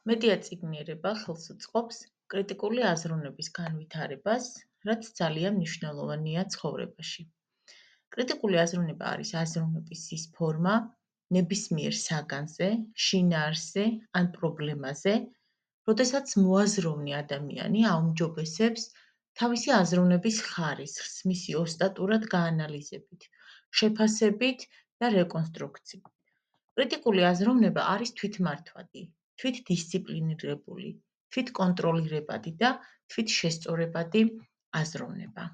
მეტიაწიგნიერება ხელს უწყობს კრიტიკული აზროვნების განვითარებას, რაც ძალიან მნიშვნელოვანია ცხოვრებაში. კრიტიკული აზროვნება არის აზროვნების ის ფორმა, ნებისმიერ საგანზე, შინაარსზე ან პრობლემაზე, როდესაც მოაზროვნე ადამიანი აუმჯობესებს თავისი აზროვნების ხარისხს, მისი ოსტატურად გაანალიზებით, შეფასებით და რეკონსტრუქციით. კრიტიკული აზროვნება არის თვითმართვადი, თვითდისციპლინირებული, თვითკონტროლირებადი და თვითშესწორებადი აზროვნება.